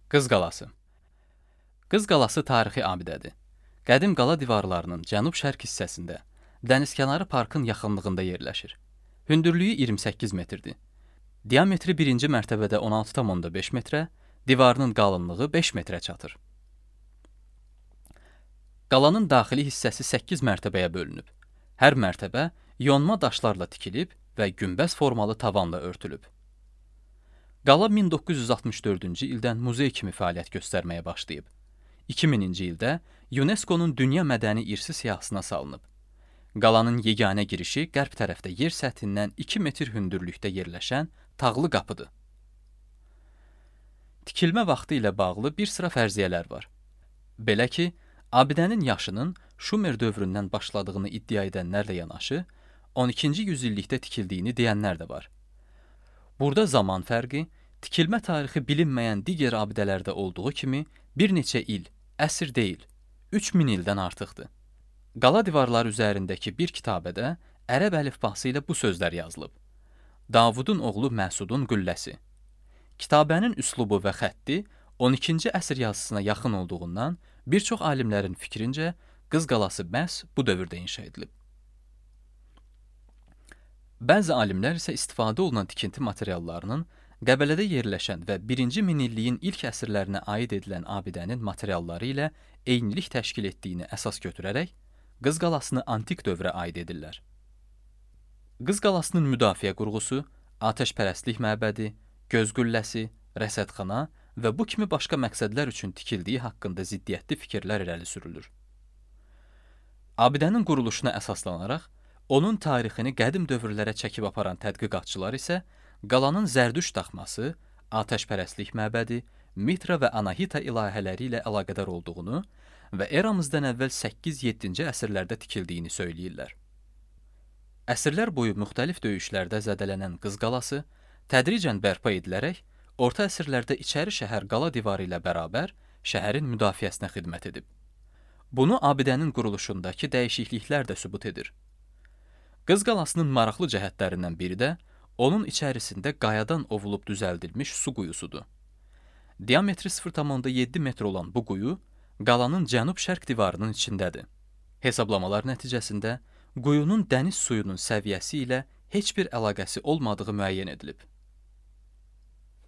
Qız Qalası. Qız Qalası tarixi abidədir. Qədim qala divarlarının cənub-şərq hissəsində, dənizkənarı parkın yaxınlığında yerləşir. Hündürlüyü 28 metrdir. Diametri birinci mərtəbədə 16,5 metrə, divarının qalınlığı 5 metrə çatır. Qalanın daxili hissəsi 8 mərtəbəyə bölünüb. Hər mərtəbə yonma daşlarla tikilib və günbəz formalı tavanla örtülüb. Qala 1964-cü ildən muzey kimi fəaliyyət göstərməyə başlayıb. 2000-ci ildə UNESCO-nun Dünya Mədəni İrsi siyahısına salınıb. Qalanın yeganə girişi qərb tərəfdə yer səthindən 2 metr hündürlükdə yerləşən tağlı qapıdır. Tikilmə vaxtı ilə bağlı bir sıra fərziyyələr var. Belə ki, abidənin yaşının Şumer dövründən başladığını iddia edənlərlə yanaşı, 12-ci yüzillikdə tikildiyini deyənlər də var. Burada zaman fərqi, tikilmə tarixi bilinməyən digər abidələrdə olduğu kimi bir neçə il, əsr deyil, 3000 ildən artıqdır. Qala divarları üzərindəki bir kitabədə ərəb əlifbası ilə bu sözlər yazılıb. Davudun oğlu Məsudun qülləsi. Kitabənin üslubu və xətti 12-ci əsr yazısına yaxın olduğundan bir çox alimlərin fikrincə Qız Qalası məhz bu dövrdə inşa edilib. Bəzi alimlər isə istifadə olunan tikinti materiallarının Qəbələdə yerləşən və 1-ci minilliyin ilk əsrlərinə aid edilən abidənin materialları ilə eynilik təşkil etdiyini əsas götürərək, Qız Qalasını antik dövrə aid edirlər. Qız Qalasının müdafiə qurğusu, atəşpərəstlik məbədi, göz qülləsi, rəsədxana və bu kimi başqa məqsədlər üçün tikildiyi haqqında ziddiyyətli fikirlər irəli sürülür. Abidənin quruluşuna əsaslanaraq, onun tarixini qədim dövrlərə çəkib aparan tədqiqatçılar isə qalanın Zərdüşt daxması, atəşpərəstlik məbədi, Mitra və Anahita ilahələri ilə əlaqədar olduğunu və eramızdan əvvəl 8-7-ci əsrlərdə tikildiyini söyləyirlər. Əsrlər boyu müxtəlif döyüşlərdə zədələnən Qız Qalası tədricən bərpa edilərək, orta əsrlərdə içəri şəhər qala divarı ilə bərabər şəhərin müdafiəsinə xidmət edib. Bunu abidənin quruluşundakı dəyişikliklər də sübut edir. Qız Qalasının maraqlı cəhətlərindən biri də onun içərisində qayadan ovulub düzəldilmiş su quyusudur. Diametri 0,7 metr olan bu quyu qalanın cənub-şərq divarının içindədir. Hesablamalar nəticəsində quyunun dəniz suyunun səviyyəsi ilə heç bir əlaqəsi olmadığı müəyyən edilib.